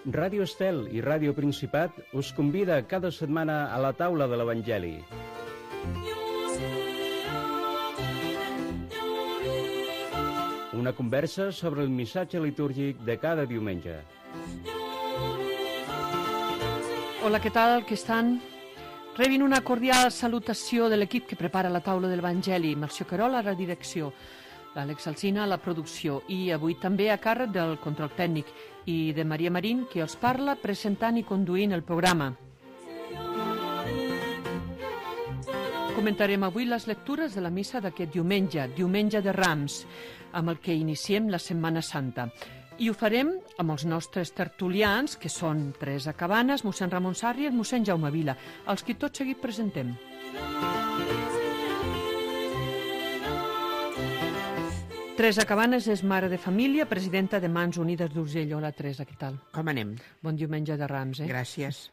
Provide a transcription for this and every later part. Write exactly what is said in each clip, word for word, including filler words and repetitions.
Ràdio Estel i Ràdio Principat us convida cada setmana a la taula de l'Evangeli. Una conversa sobre el missatge litúrgic de cada diumenge. Hola, què tal? Què estan? Rebin una cordial salutació de l'equip que prepara la taula de l'Evangeli. Melcior Querol a la direcció, l'Àlex Alsina a la producció i avui també a càrrec del control tècnic i de Maria Marín, que els parla presentant i conduint el programa. Comentarem avui les lectures de la missa d'aquest diumenge, diumenge de Rams, amb el que iniciem la Setmana Santa. I ho farem amb els nostres tertulians, que són Teresa Cabanes, mossèn Ramon Sarri i el mossèn Jaume Vila, els que tot seguit presentem. Teresa Cabanes és mare de família, presidenta de Mans Unides d'Urgell. Hola, Teresa, què tal? Com anem? Bon diumenge de Rams, eh? Gràcies.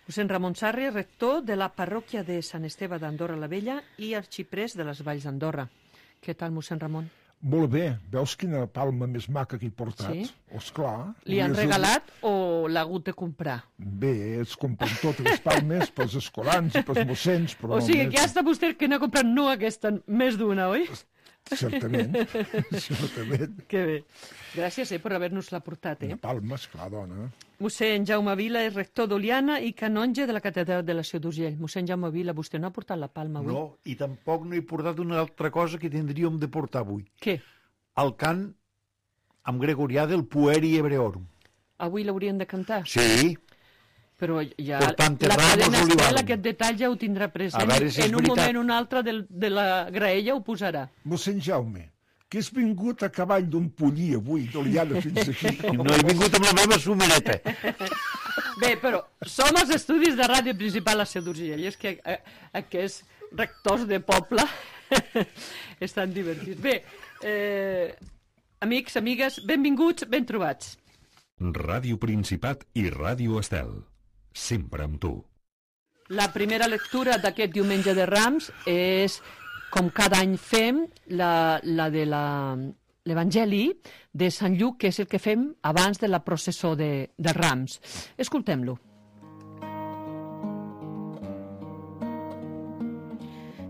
Mossèn Ramon Sarri, rector de la parròquia de Sant Esteve d'Andorra la Vella i arxiprés de les Valls d'Andorra. Què tal, mossèn Ramon? Molt bé. Veus quina palma més maca que he portat? Sí? Esclar. Li han regalat o l'ha hagut de comprar? Bé, es compren totes les palmes pels escolans i pels mossens, però... O sigui, més... que ja està vostè que n'ha comprat no aquesta, més d'una, oi? Certament, certament. Que bé. Gràcies eh, per haver-nos-la portat. Eh? Una palma, esclar, dona. Mossèn Jaume Vila és rector d'Oliana i canonge de la catedral de la Seu d'Urgell. Mossèn Jaume Vila, vostè no ha portat la palma avui? No, i tampoc no he portat una altra cosa que tindríem de portar avui. Què? El cant amb gregorià del Pueri Hebreorum. Avui l'haurien de cantar? Sí. Però ja Portant la Ramos cadena Estel Olivarum. aquest detall ja ho tindrà present. A veure si és en un veritat. moment o un altre del, de la graella ho posarà. Mossèn Jaume, que has vingut a cavall d'un pollí avui, d'Oliana fins aquí. No he vingut amb la meva sumereta. Bé, però som als estudis de Ràdio Principal a Seu d'Urgell. I és que eh, aquests rectors de poble estan divertits. Bé, eh, amics, amigues, benvinguts, ben trobats. Ràdio Principat i Ràdio Estel. Sempre amb tu. La primera lectura d'aquest diumenge de Rams és, com cada any fem, la, la de la, l'Evangeli de Sant Lluc, que és el que fem abans de la processó de, de Rams. Escoltem-lo.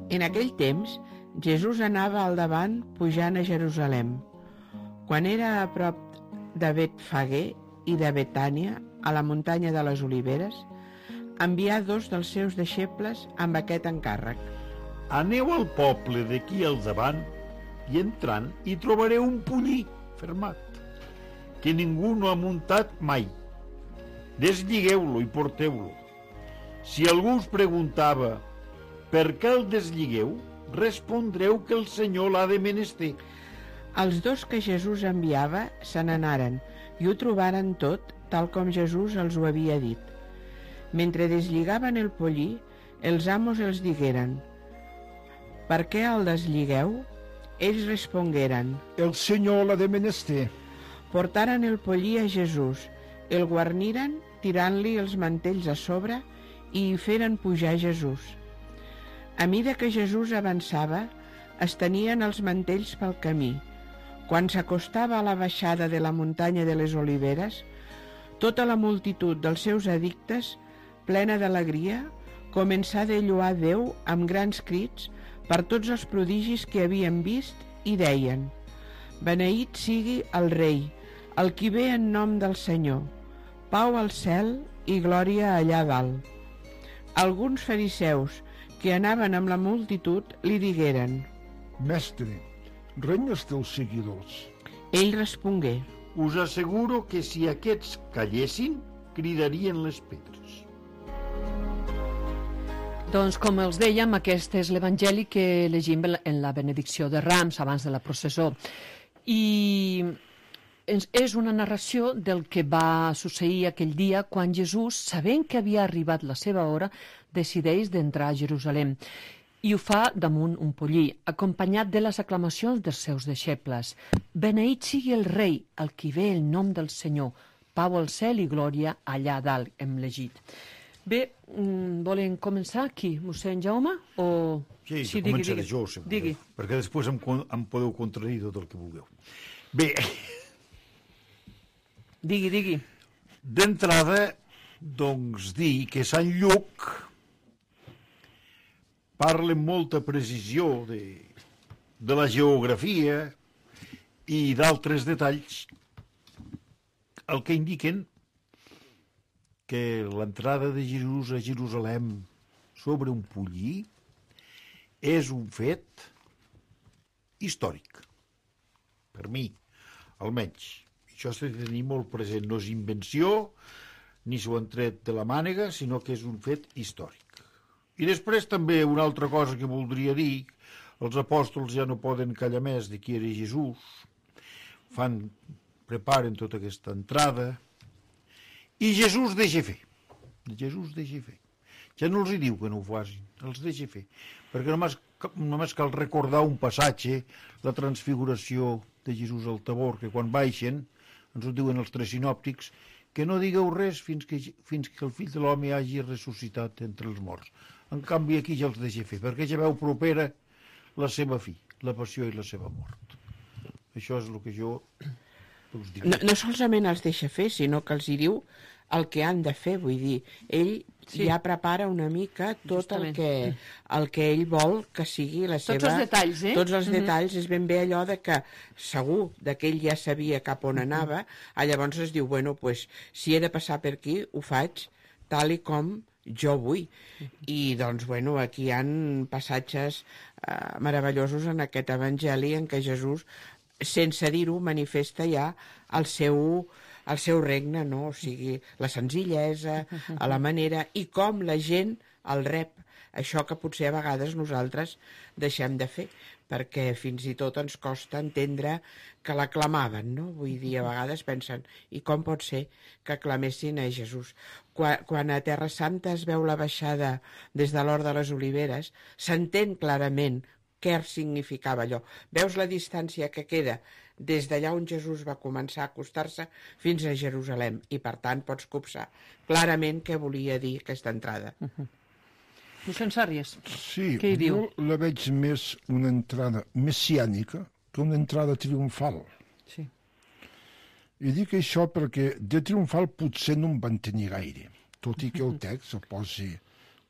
En aquell temps, Jesús anava al davant pujant a Jerusalem. Quan era a prop de Betfagé i de Betània, a la muntanya de les Oliveres, envià dos dels seus deixebles amb aquest encàrrec. Aneu al poble d'aquí al davant i entrant hi trobareu un pollí fermat, que ningú no ha muntat mai. Deslligeu-lo i porteu-lo. Si algú us preguntava per què el deslligeu, respondreu que el Senyor l'ha de menester. Els dos que Jesús enviava se n'anaren i ho trobaren tot tal com Jesús els ho havia dit. Mentre deslligaven el pollí, els amos els digueren: «Per què el deslligeu?» Ells respongueren: El Senyor l'ha de menester. Portaren el pollí a Jesús, el guarniren tirant-li els mantells a sobre i hi feren pujar Jesús. A mida que Jesús avançava, es tenien els mantells pel camí. Quan s'acostava a la baixada de la muntanya de les Oliveres, tota la multitud dels seus addictes, plena d'alegria, començà a lloar Déu amb grans crits per tots els prodigis que havien vist i deien: «Beneït sigui el Rei, el qui ve en nom del Senyor, pau al cel i glòria allà dalt». Alguns fariseus que anaven amb la multitud li digueren: Mestre, renya els teus seguidors. Ell respongué: Us asseguro que si aquests callessin, cridarien les pedres. Doncs, com els dèiem, aquest és l'Evangeli que llegim en la benedicció de Rams abans de la processó. I és una narració del que va succeir aquell dia quan Jesús, sabent que havia arribat la seva hora, decideix d'entrar a Jerusalem. I ho fa damunt un pollí, acompanyat de les aclamacions dels seus deixebles. Beneït sigui el rei, el qui ve el nom del Senyor, pau al cel i glòria allà dalt, hem llegit. Bé, volen començar aquí, mossèn Jaume? O... Sí, sí, digui, començaré digui. jo, si digui. Perquè després em, em podeu contradir tot el que vulgueu. Bé... Digui, digui. D'entrada, doncs, dir que Sant Lluc parla amb molta precisió de, de la geografia i d'altres detalls, el que indiquen que l'entrada de Jesús a Jerusalem sobre un pollí és un fet històric, per mi, almenys. Això s'ha de tenir molt present, no és invenció, ni s'ho han tret de la mànega, sinó que és un fet històric. I després també una altra cosa que voldria dir, els apòstols ja no poden callar més de qui era Jesús, fan, preparen tota aquesta entrada, i Jesús deixa fer. Jesús deixa fer. Ja no els hi diu que no ho facin, els deixa fer. Perquè només, només cal recordar un passatge, la transfiguració de Jesús al Tabor, que quan baixen, ens ho diuen els tres sinòptics, que no digueu res fins que, fins que el fill de l'home hagi ressuscitat entre els morts. En canvi, aquí ja els deixa fer, perquè ja veu propera la seva fi, la passió i la seva mort. Això és el que jo us dic. No, no solament els deixa fer, sinó que els hi diu el que han de fer, vull dir, ell sí. ja prepara una mica tot Justament. el que, el que ell vol que sigui la seva... Tots els detalls, eh? Tots els detalls, mm-hmm. és ben bé allò de que segur de que ell ja sabia cap on anava, mm-hmm. llavors es diu, bueno, pues, si he de passar per aquí, ho faig tal i com jo vull. I doncs, bueno, aquí hi ha passatges eh, meravellosos en aquest evangeli en què Jesús, sense dir-ho, manifesta ja el seu, el seu regne, no? O sigui, la senzillesa, a la manera, i com la gent el rep. Això que potser a vegades nosaltres deixem de fer, perquè fins i tot ens costa entendre que l'aclamaven, no? Vull dir, a vegades pensen, i com pot ser que aclamessin a Jesús? Quan, quan a Terra Santa es veu la baixada des de l'Hort de les Oliveres, s'entén clarament què significava allò. Veus la distància que queda des d'allà on Jesús va començar a acostar-se fins a Jerusalem, i per tant pots copsar clarament què volia dir aquesta entrada. Uh-huh. Mossèn Sàrries, sí, què hi diu? Jo la veig més una entrada messiànica que una entrada triomfal. Sí. I dic això perquè de triomfal potser no en van tenir gaire, tot i que el text el posi...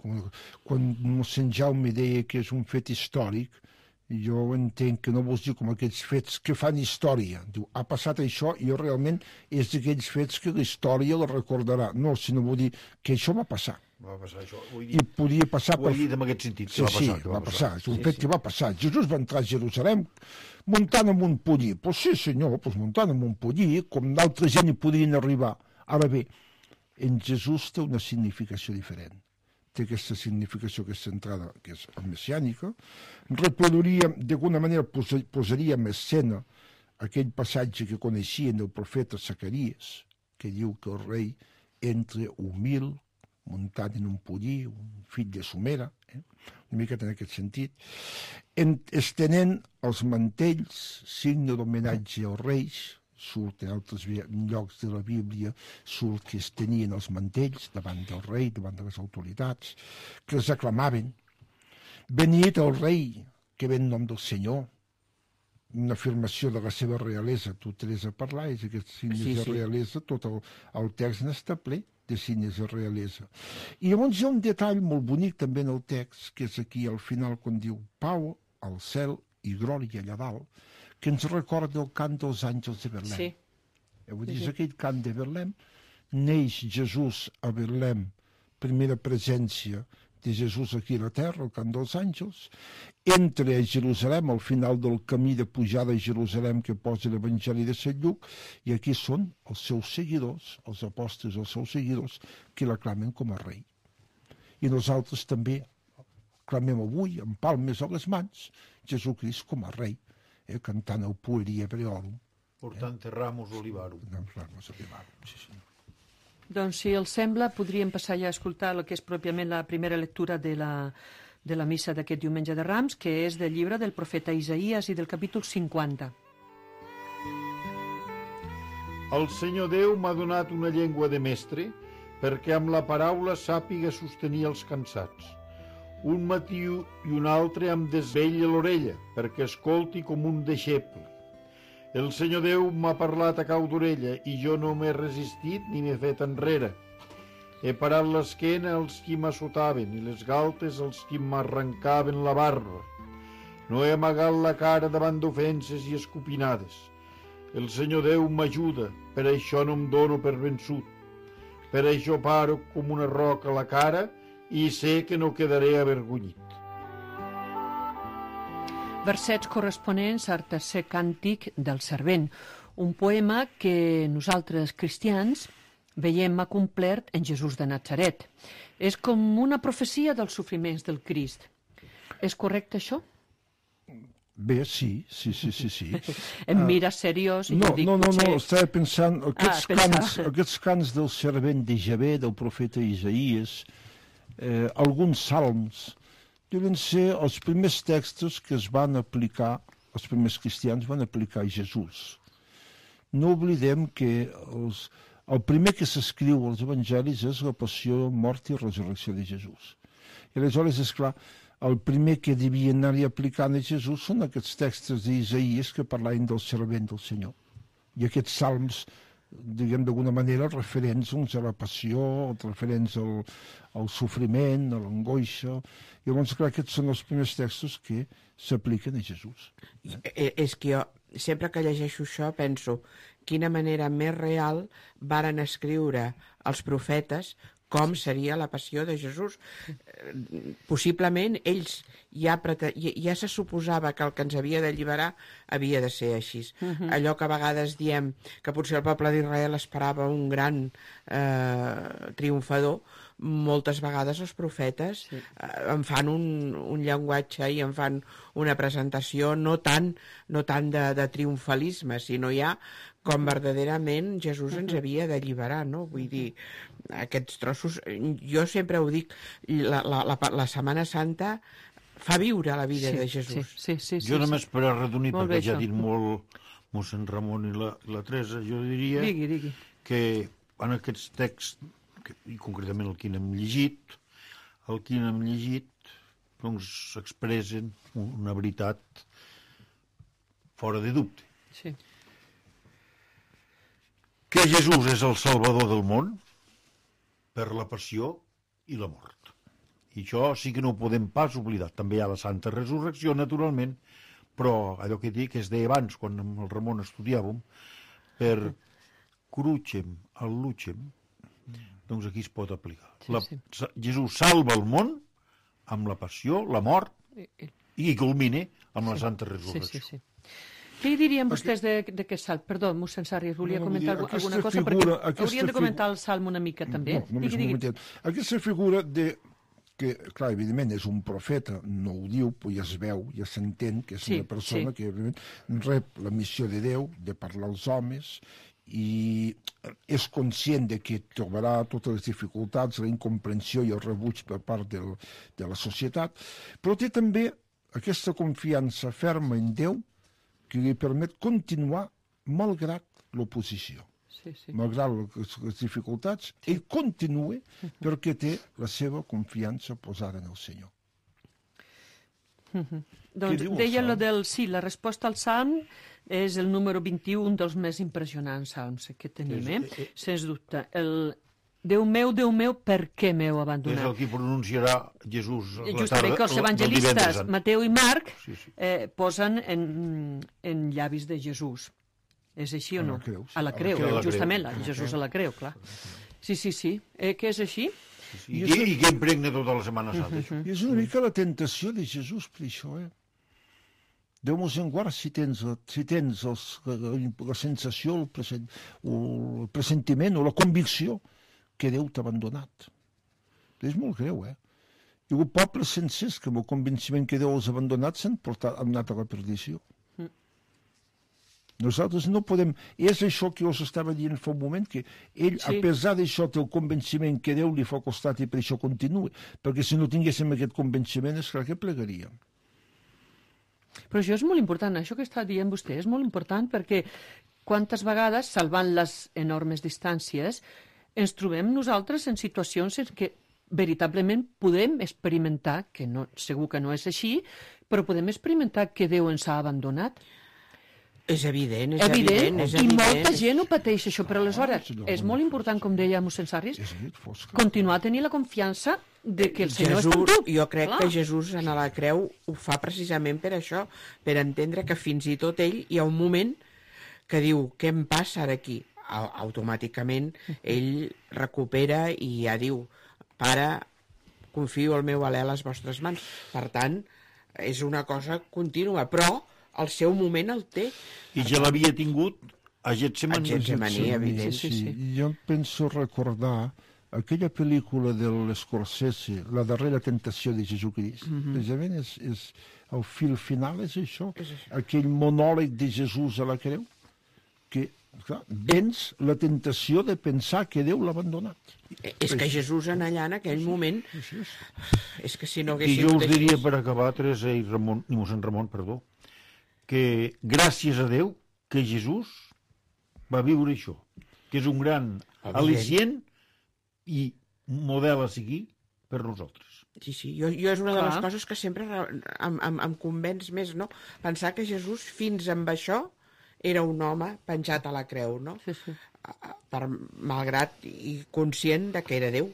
Quan mossèn Jaume deia que és un fet històric, jo entenc que no vols dir com aquells fets que fan història. Diu, ha passat això i jo realment és d'aquells fets que la història la recordarà. No, sinó vull dir que això va passar. Va passar això. Ho he dit, I podia passar... ho he dit en aquest sentit, que sí, va passar. Sí, que va, va passar. passar. És un sí, fet sí. que va passar. Jesús va entrar a Jerusalem muntant amb un pollí. Pues sí, senyor, pues muntant amb un pollí, com d'altra gent hi podrien arribar. Ara bé, en Jesús té una significació diferent. Té aquesta significació, aquesta entrada, que és messiànica. Reproduiria, d'alguna manera, posaria en escena aquell passatge que coneixien del profeta Zacaries, que diu que el rei entra humil, muntat en un pollí, un fill de somera, eh? una miqueta en aquest sentit, en, estenent els mantells, signe d'homenatge als reis. Surt en altres llocs de la Bíblia, surt que es tenien els mantells davant del rei, davant de les autoritats, que els aclamaven. Benit el rei, que ve en nom del Senyor, una afirmació de la seva realesa. Tu t'has a parlar, és aquests signes sí, de realesa, sí. Tot el, el text n'està ple de signes de realesa. I llavors hi ha un detall molt bonic també en el text, que és aquí al final quan diu pau al cel i glòria allà dalt, que ens recorda el cant dels àngels de Betlem. Sí. Eh, vull dir, és aquell cant de Betlem. Neix Jesús a Betlem, primera presència de Jesús aquí a la terra, el cant dels àngels. Entra a Jerusalem, al final del camí de pujada a Jerusalem que posa l'Evangeli de Sant Lluc, i aquí són els seus seguidors, els apòstols, els seus seguidors, que l'aclamen com a rei. I nosaltres també clamem avui, amb palmes a les mans, Jesucrist com a rei. Eh, cantant el Pueri Ebreorum. Portante eh? Ramos Olivarum. Ramos Olivarum, sí, sí. Doncs, si els sembla, podríem passar ja a escoltar el que és pròpiament la primera lectura de la, de la missa d'aquest diumenge de Rams, que és del llibre del profeta Isaïes i del capítol cinquanta. El Senyor Déu m'ha donat una llengua de mestre perquè amb la paraula sàpiga sostenir els cansats. Un matí i un altre em desvella l'orella perquè escolti com un deixeble. El Senyor Déu m'ha parlat a cau d'orella i jo no m'he resistit ni m'he fet enrere. He parat l'esquena als qui m'assotaven i les galtes als qui m'arrencaven la barba. No he amagat la cara davant d'ofenses i escopinades. El Senyor Déu m'ajuda, per això no em dono per vençut. Per això paro com una roca a la cara i sé que no quedaré avergonyit. Versets corresponents al tercer càntic del Servent, un poema que nosaltres cristians veiem acomplert en Jesús de Natzaret. És com una profecia dels sofriments del Crist. És correcte això? Bé, sí, sí, sí, sí. sí. Em mira seriós i no, jo dic, no, no, potser... no, estava pensant, aquests, Ah, cants, pensava. aquests cants del servent de Javé, del profeta Isaías, eh, alguns salms, deuen ser els primers textos que es van aplicar, els primers cristians van aplicar a Jesús. No oblidem que els, el primer que s'escriu als evangelis és la passió, mort i resurrecció de Jesús. I aleshores, és clar, el primer que devia anar-hi aplicant a Jesús són aquests textos d'Isaïas que parlaven del servent del Senyor. I aquests salms, diguem d'alguna manera, referents uns a la passió, referents al, al sofriment, a l'angoixa. I llavors, clar, aquests són els primers textos que s'apliquen a Jesús. Eh, És que jo, sempre que llegeixo això, penso quina manera més real varen escriure els profetes com seria la passió de Jesús. Possiblement ells ja, ja se suposava que el que ens havia d'alliberar havia de ser així. Uh-huh. Allò que a vegades diem que potser el poble d'Israel esperava un gran eh, triomfador, moltes vegades els profetes sí. eh, en fan un, un llenguatge i en fan una presentació no tant, no tant de, de triomfalisme, sinó ja com verdaderament Jesús ens havia d'alliberar, no? Vull dir, aquests trossos... Jo sempre ho dic, la, la, la, la Setmana Santa fa viure la vida sí, de Jesús. Sí, sí, sí, jo sí, només sí. per arredonir, Molt perquè bé, ja ha això. dit molt mossèn Ramon i la, la Teresa, jo diria Digui, digui. que en aquests texts, que, i concretament el que n'hem llegit, el que n'hem llegit, doncs s'expressen una veritat fora de dubte. Sí. Que Jesús és el Salvador del món per la passió i la mort. I això sí que no ho podem pas oblidar. També hi ha la Santa Resurrecció, naturalment, però allò que dic es deia abans, quan amb el Ramon estudiàvem, per crucem al lucem, doncs aquí es pot aplicar. Sí, La, sí. Jesús salva el món amb la passió, la mort, I, i, i culmine amb la Santa sí, Resurrecció. sí, sí. Què hi dirien vostès d'aquest salt? Perdó, mossèn Sarrias, volia No, comentar vull dir, alguna aquesta cosa? figura- Perquè aquesta haurien de figu- comentar el salm una mica, també. No, només digui, un digui. momentet. Aquesta figura de que, clar, evidentment és un profeta, no ho diu, però ja es veu, ja s'entén que és Sí, una persona sí. que evidentment rep la missió de Déu de parlar als homes i és conscient de que trobarà totes les dificultats, la incomprensió i el rebuig per part del, de la societat, però té també aquesta confiança ferma en Déu que li permet continuar malgrat l'oposició. Sí, sí. Malgrat les, les dificultats, ell continua perquè té la seva confiança posada en el Senyor. Doncs diu el deia salm? lo del... Sí, la resposta al salm és el número vint-i-u, un dels més impressionants salms que tenim, eh? És- eh, Sens dubte. El Déu meu, Déu meu, per què m'heu És abandonat? el que pronunciarà Jesús la Justament tarda que els del evangelistes, divendres sant. Mateu i Marc, Sí, sí. eh, posen en, en llavis de Jesús. És així o A la no? creu, sí. A la creu, A la creu. justament, la, Jesús a la creu, clar. Sí, sí, sí. Eh, que és així? I, que, I que impregna tota la Setmana Santa, això. I és una mica la tentació de Jesús per això, eh? Déu mos en guard si tens, si tens els, la, la sensació, el, present, o el pressentiment o la convicció que Déu t'ha abandonat. És molt greu, eh? Hi ha hagut pobles sencers que amb el convenciment que Déu els ha abandonat s'han portat, han anat a la perdició. Mm. Nosaltres no podem... És això que us estava dient fa un moment, que ell, sí. a pesar d'això, té el convenciment que Déu li fa costat i per això continua. Perquè si no tinguéssim aquest convenciment, és clar que plegaríem. Però això és molt important, això que està dient vostè és molt important perquè quantes vegades, salvant les enormes distàncies, ens trobem nosaltres en situacions en què veritablement podem experimentar, que no, segur que no és així, però podem experimentar que Déu ens ha abandonat. És evident, és evident, evident, és i evident. molta gent ho pateix, això, però aleshores senyor, és molt important, com deia mossèn Sarris, És a dir, fosca. continuar a tenir la confiança de que el Senyor Jesús, està amb tu. jo crec Clar. que Jesús en la creu ho fa precisament per això, per entendre que fins i tot ell hi ha un moment que diu, què em passa ara aquí? Au- Automàticament ell recupera i ja diu, pare, confio el meu alè a les vostres mans. Per tant, és una cosa contínua, però el seu moment el té. I ja l'havia tingut a Getsemaní. A Getsemaní, Sí, evident. sí, sí, sí. Jo penso recordar aquella pel·lícula de l'Scorsese, La darrera tentació de Jesucrist. Mm -hmm. Precisament és, és, el fil final és això, És això. aquell monòleg de Jesús a la creu, que clar, vens la tentació de pensar que Déu l'ha abandonat. És que Jesús en allà, en aquell moment, és que si no I hagués jo sigut us diria, així... per acabar, Teresa i, Ramon, i mossèn Ramon, perdó, que gràcies a Déu que Jesús va viure això, que és un gran Evident. al·licient i model a seguir per nosaltres. Sí, sí, jo, jo és una de Clar. les coses que sempre re- em, em, em convenç més, no? Pensar que Jesús, fins amb això, era un home penjat a la creu, no? Sí, sí. Per, malgrat i conscient de que era Déu.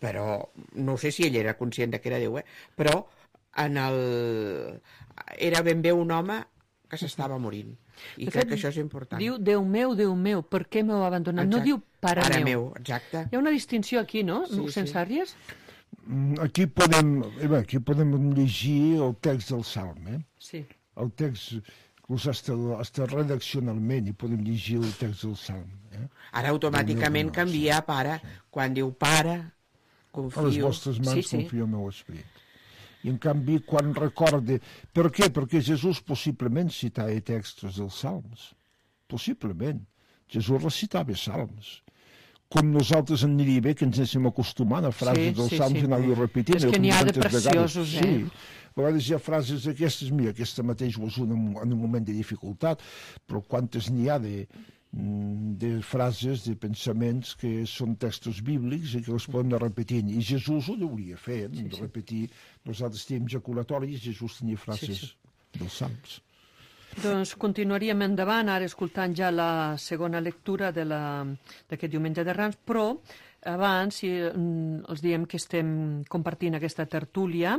Però, no sé si ell era conscient de que era Déu, eh? Però en el... era ben bé un home que s'estava morint. I De crec fet, que això és important. Diu, Déu meu, Déu meu, per què m'heu abandonat? No Exacte. diu pare, Pare meu. meu, exacte. Hi ha una distinció aquí, no? Sí, Mossèn sí. Sàrries? Mm, Aquí podem, eh, bé, aquí podem llegir el text del Salm, eh? Sí. El text, inclús hasta, hasta redaccionalment, i podem llegir el text del Salm. Eh? Ara automàticament No, no, canvia a pare. Quan diu pare, confio... A les vostres mans Sí, sí. confio el meu esperit. I en canvi, quan recorde... Per què? Perquè Jesús possiblement citava textos dels salms. Possiblement. Jesús recitava salms. Com nosaltres en aniria bé que ens anéssim acostumant a frases Sí, dels sí, salms sí. i anar-ho repetint. És que com n'hi ha de tantes vegades. preciosos, eh? Sí. A vegades hi ha frases d'aquestes, mira, aquesta mateix ho és un, en un moment de dificultat, però quantes n'hi ha de, de frases, de pensaments que són textos bíblics i que els podem anar repetint. I Jesús ho hauria fet, sí, de repetir. Nosaltres tenim jaculatoris, Jesús tenia frases Sí, sí. dels salms. Doncs continuaríem endavant, ara escoltant ja la segona lectura de la- d'aquest diumenge de Rams, però abans si, mm, els diem que estem compartint aquesta tertúlia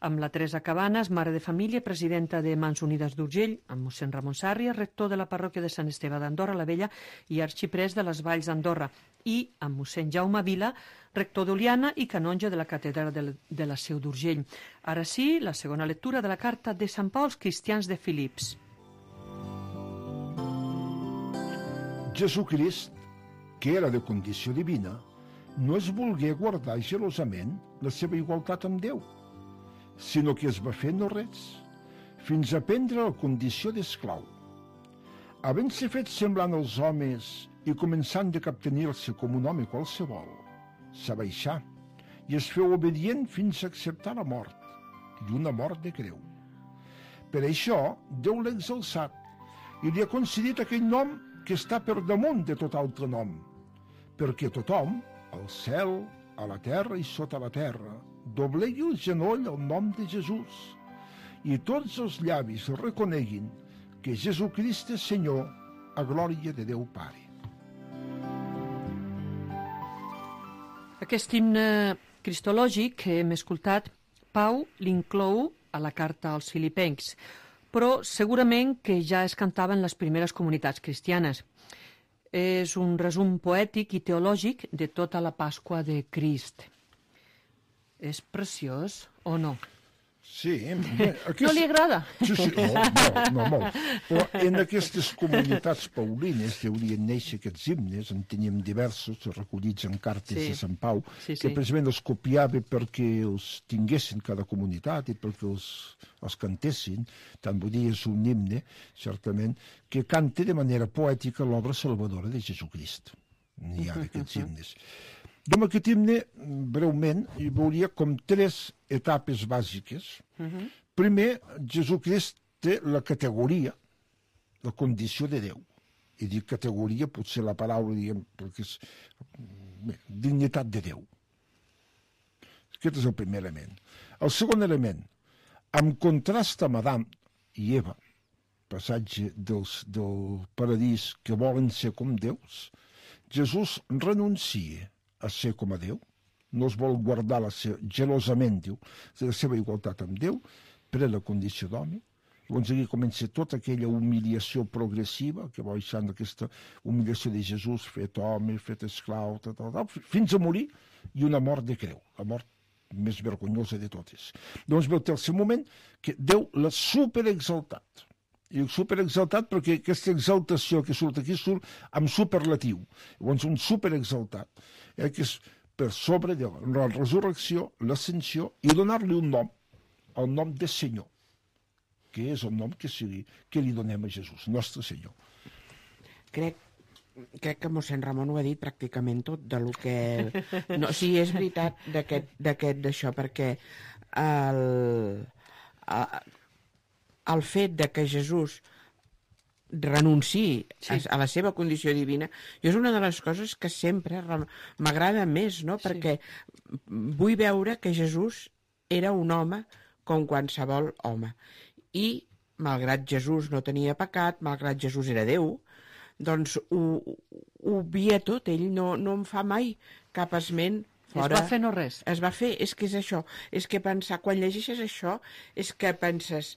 amb la Teresa Cabanes, mare de família, presidenta de Mans Unides d'Urgell, amb mossèn Ramon Sàrries, rector de la parròquia de Sant Esteve d'Andorra la Vella i arxiprès de les Valls d'Andorra, i amb mossèn Jaume Vila, rector d'Oliana i canonge de la catedral de, de la Seu d'Urgell. Ara sí, la segona lectura de la carta de Sant Pau als cristians de Filips. Jesucrist, que era de condició divina, no es volgué guardar gelosament la seva igualtat amb Déu, sinó que es va fer no res, fins a prendre la condició d'esclau. Havent-se fet semblant als homes i començant de captenir-se com un home qualsevol, s'abaixà i es feu obedient fins a acceptar la mort, i una mort de creu. Per això, Déu l'ha exalçat i li ha concedit aquell nom que està per damunt de tot altre nom, perquè tothom, al cel, a la terra i sota la terra, doblegui el genoll al nom de Jesús i tots els llavis reconeguin que Jesucrist és Senyor a glòria de Déu Pare. Aquest himne cristològic que hem escoltat, Pau l'inclou a la carta als filipencs, però segurament que ja es cantava en les primeres comunitats cristianes. És un resum poètic i teològic de tota la Pasqua de Crist. És preciós o no? Sí, bé, aquest... No li agrada? Sí, sí, no, no, no, molt. Però en aquestes comunitats paulines que haurien néixer aquests himnes, en teníem diversos recollits en cartes Sí. de Sant Pau, Sí, que sí. precisament els copiava perquè els tinguessin cada comunitat i perquè els, els cantessin. Tant vull dir, és un himne, certament, que canta de manera poètica l'obra salvadora de Jesucrist. N'hi ha d'aquests himnes. Jo amb aquest himne, breument, hi veuria com tres etapes bàsiques. Primer, Jesucrist té la categoria, la condició de Déu. I dic categoria, potser la paraula, diguem, perquè és bé, dignitat de Déu. Aquest és el primer element. El segon element, en contrast amb Adam i Eva, passatge dels, del paradís que volen ser com Déus, Jesús renuncia a ser com a Déu, no es vol guardar la seva, gelosament, diu, la seva igualtat amb Déu, per a la condició d'home. Llavors aquí comença tota aquella humiliació progressiva, que va baixant aquesta humiliació de Jesús, fet home, fet esclau, tal, tal, tal, fins a morir, i una mort de creu, la mort més vergonyosa de totes. Llavors ve el tercer moment, que Déu l'ha superexaltat. I superexaltat perquè aquesta exaltació que surt aquí surt amb superlatiu. Llavors un superexaltat, eh, que és per sobre de la resurrecció, l'ascensió, i donar-li un nom, el nom de Senyor, que és el nom que, sigui, que li donem a Jesús, nostre Senyor. Crec, crec que mossèn Ramon ho ha dit pràcticament tot de lo que... No, sí, és veritat d'aquest d'això, perquè el, el fet de que Jesús renunciï sí. a, a la seva condició divina, jo és una de les coses que sempre m'agrada més, no? Sí. Perquè vull veure que Jesús era un home com qualsevol home. I, malgrat Jesús no tenia pecat, malgrat Jesús era Déu, doncs ho, ho obvia tot. Ell no, no en fa mai cap esment fora. Es va fer no res. Es va fer, és que és això. És que pensar, quan llegeixes això, és que penses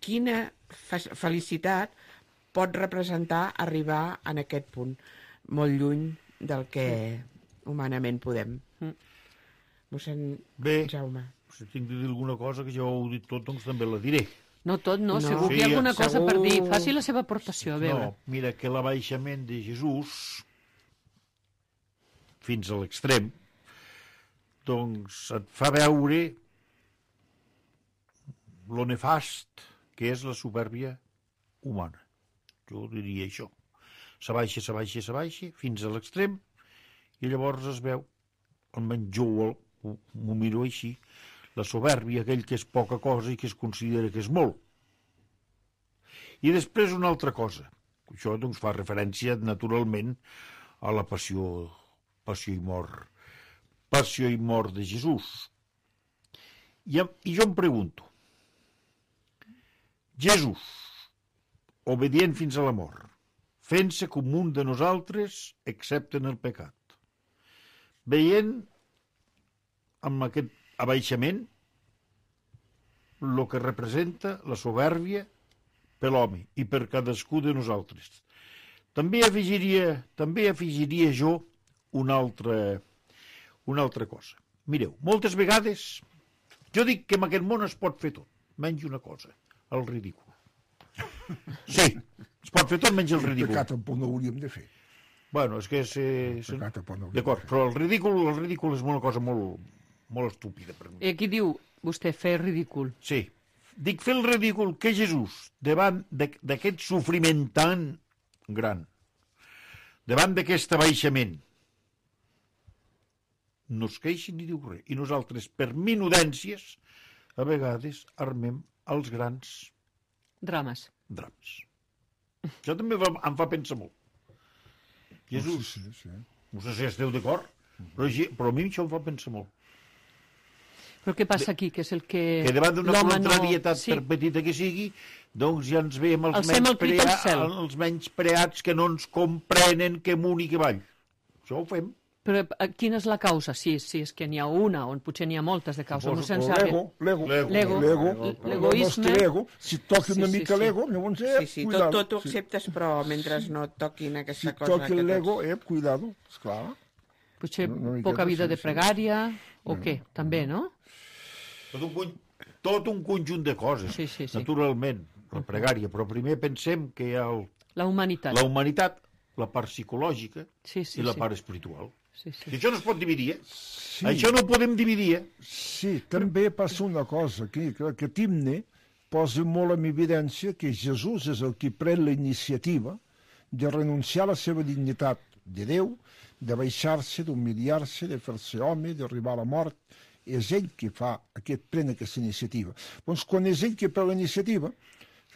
quina felicitat pot representar arribar en aquest punt, molt lluny del que humanament podem. Mossèn Bé, Jaume. Si tinc de dir alguna cosa, que ja ho he dit tot, doncs també la diré. No tot, no, no. Segur Sí, que hi ha alguna segur. cosa per dir. Faci la seva aportació, a veure. No, mira que l'abaixament de Jesús, fins a l'extrem, doncs et fa veure lo nefast que és la supèrbia humana. Jo diria això. S'abaixa, s'abaixa, s'abaixa, fins a l'extrem, i llavors es veu, almenys jo ho, ho miro així, la supèrbia, aquell que és poca cosa i que es considera que és molt. I després una altra cosa. Això doncs, fa referència naturalment a la passió, passió i mort. Passió i mort de Jesús. I, i jo em pregunto, Jesús, obedient fins a la mort, fent-se com un de nosaltres, excepte en el pecat, veient amb aquest abaixament el que representa la supèrbia per l'home i per cadascú de nosaltres. També afegiria, també afegiria jo una altra, una altra cosa. Mireu, moltes vegades jo dic que en aquest món es pot fer tot, menys una cosa, el ridícul. Sí, es pot fer tot menys el ridícul. El pecat tampoc no hauríem de fer. Bueno, és que és... és... D'acord, però el ridícul, el ridícul és una cosa molt, molt estúpida per mi. I aquí diu vostè fer ridícul. Sí, dic fer el ridícul que Jesús, davant d'aquest sofriment tan gran, davant d'aquest abaixament, no es queixi ni diu res. I nosaltres, per minudències, a vegades armem els grans Drames. drames. Això també em fa pensar molt. Jesús, Sí, sí, sí. no sé si esteu d'acord, però, però a mi això em fa pensar molt. Però què passa aquí? Que és el que... Que davant d'una l'home contrarietat, no... sí. per petita que sigui, doncs ja ens veiem els, Alcem menys, el crit al prea, cel. els menys preats que no ens comprenen que amunt i que avall. Això ho fem. Però eh, quina és la causa? Sí, sí, és que n'hi ha una, on potser n'hi ha moltes de causes. Suposo, No O sense... l'ego, l'ego, L'ego. l'ego, L'egoisme. el nostre ego, si toqui una Sí, sí, mica sí. l'ego, llavors, eh, Sí, sí, tot, cuidado. tot ho acceptes, però mentre no et toquin Si aquesta cosa... toqui que l'ego, tots- eh, cuidado, esclar. Potser No, no hi poca queda, vida sí, de sí. pregària, o què? També, no? Tot un, con- tot un conjunt de coses, Sí, sí, sí. naturalment, la pregària, però primer pensem que hi ha el, La humanitat. la humanitat, la part psicològica Sí, sí, i la sí. part espiritual. Sí, sí. I això no es pot dividir, eh? Sí, Això no ho podem dividir, eh? sí, també passa una cosa aquí, que aquest himne posa molt en evidència que Jesús és el qui pren la iniciativa de renunciar a la seva dignitat de Déu, de baixar-se, d'humiliar-se, de fer-se home, d'arribar a la mort. És ell qui fa aquest, pren aquesta iniciativa. Doncs quan és ell qui pren la iniciativa,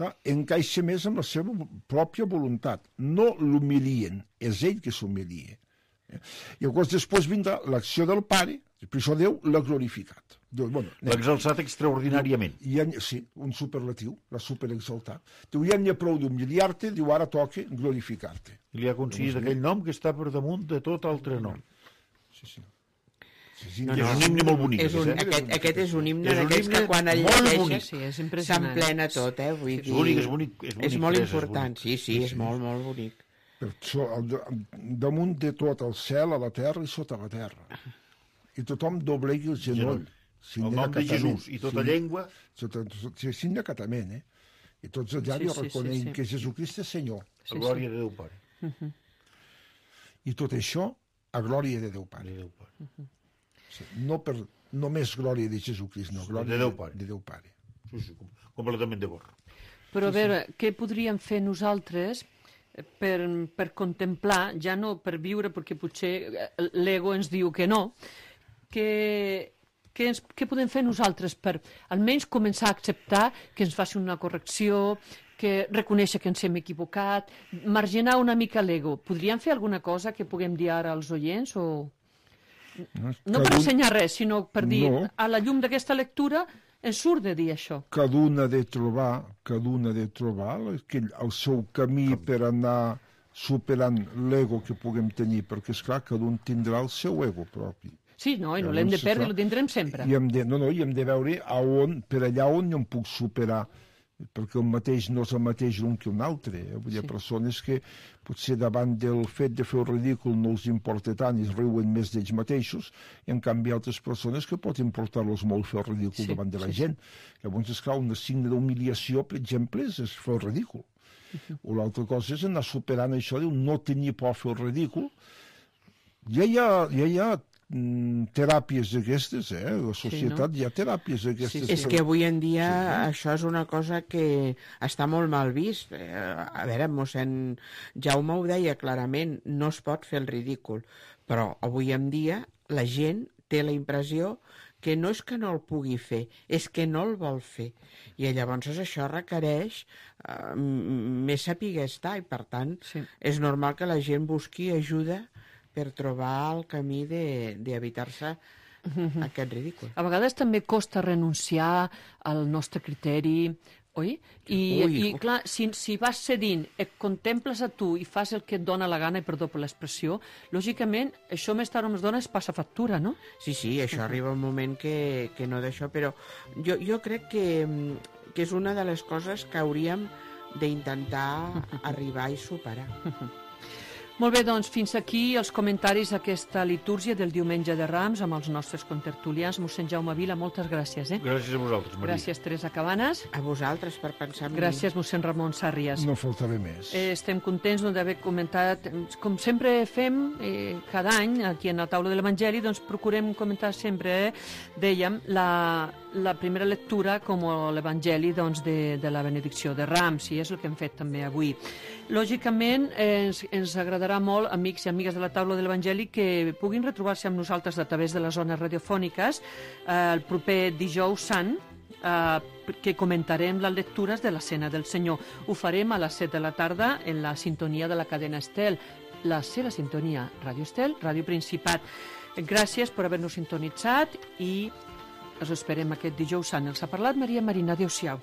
clar, encaixa més amb la seva pròpia voluntat. No l'humilien, és ell que s'humilia. I llavors després vindrà l'acció del pare, Per això Déu l'ha glorificat. Déu, bueno, L'ha exalçat extraordinàriament. I en, sí, un superlatiu, l'ha superexaltat. Diu, ja n'hi ha prou d'humiliar-te, diu, ara toca glorificar-te. I li ha aconseguit aquell nom que està per damunt de tot altre nom. Sí, sí. Sí, sí, No, Que no, és un himne molt bonic. És un, aquest, eh? aquest, aquest és un himne És un d'aquells que himne quan el molt llegeixes bonic. Sí, és impressionant. s'emplena tot, eh? Vull És dir, bonic, és bonic. És, bonic, és molt Teresa, important, bonic. sí, sí, és molt, molt bonic. Per so, al, damunt de tot el cel, a la terra i sota la terra. I tothom doblegui el genoll. El nom de Jesús i tota llengua. Signe acatament, eh? I tots allà Sí, li sí, reconeguin sí, sí. que Jesucrist és Senyor. A glòria de Déu Pare. I tot això a glòria de Déu Pare. De Déu Pare. Sí, no per només glòria de Jesucrist, no, glòria De Déu Pare. de Déu Pare. Sí, sí, com- completament d'acord. Però a veure, què podríem fer nosaltres per, per contemplar, ja no per viure, perquè potser l'ego ens diu que no, que, que ens, què podem fer nosaltres per almenys començar a acceptar que ens faci una correcció, que reconèixer que ens hem equivocat, marginar una mica l'ego. Podríem fer alguna cosa que puguem dir ara als oients o... No per ensenyar res, sinó per dir, No. a la llum d'aquesta lectura ens surt de dir això. Cada un ha de trobar, cada un ha de trobar aquell, el seu camí per anar superant l'ego que puguem tenir, perquè, esclar, cada un tindrà el seu ego propi. Sí, no, i no Llavors, l'hem de perdre, esclar, el tindrem sempre. I hem de, no, no, i hem de veure a on, per allà on jo em puc superar, perquè el mateix no és el mateix un que un altre. Eh? Vull dir, Sí. persones que potser davant del fet de fer el ridícul no els importa tant i es riuen més d'ells mateixos, i en canvi altres persones que pot importar-los molt fer el ridícul Sí, davant de la sí, gent. Llavors, esclar, un signe d'humiliació, per exemple, és fer el ridícul. O l'altra cosa és anar superant això de no tenir por a fer el ridícul. Ja hi ha, ja hi ha mm, teràpies d'aquestes, eh? A la societat no? hi ha teràpies d'aquestes. Sí, És que avui en dia això és una cosa que està molt mal vist. Eh, A veure, mossèn Jaume ho deia clarament, no es pot fer el ridícul, però avui en dia la gent té la impressió que no és que no el pugui fer, és que no el vol fer. I llavors això requereix eh, m- més saber estar, i per tant Sí. és normal que la gent busqui ajuda per trobar el camí de- d'evitar-se aquest ridícul. A vegades també costa renunciar al nostre criteri, oi? I, Ui. i clar, si, si vas cedint, et contemples a tu i fas el que et dona la gana, i perdó per l'expressió, lògicament, això més tard o més d'hora es passa factura, no? Sí, sí, això arriba un moment que, que no d'això, però jo, jo crec que, mm, que és una de les coses que hauríem d'intentar arribar i superar. Molt bé, doncs, fins aquí els comentaris d'aquesta litúrgia del diumenge de Rams amb els nostres contertulians. Mossèn Jaume Vila, moltes gràcies, eh? Gràcies a vosaltres, Maria. Gràcies, Teresa Cabanes. A vosaltres per pensar en mi. Gràcies, mossèn Ramon Sàrries. No faltava més. Eh, estem contents doncs, d'haver comentat, com sempre fem eh, cada any aquí en la taula de l'Evangeli, doncs procurem comentar sempre, eh, dèiem, la, la primera lectura com l'Evangeli doncs, de, de la benedicció de Rams, i és el que hem fet també avui. Lògicament, eh, ens, ens agradarà molt, amics i amigues de la taula de l'Evangeli, que puguin retrobar-se amb nosaltres a través de les zones radiofòniques eh, el proper dijous sant, eh, que comentarem les lectures de la Cena del Senyor. Ho farem a les set de la tarda en la sintonia de la cadena Estel, la seva sintonia, Ràdio Estel, Ràdio Principat. Gràcies per haver-nos sintonitzat i us esperem aquest dijous sant. Els ha parlat Maria Marina. Adéu-siau.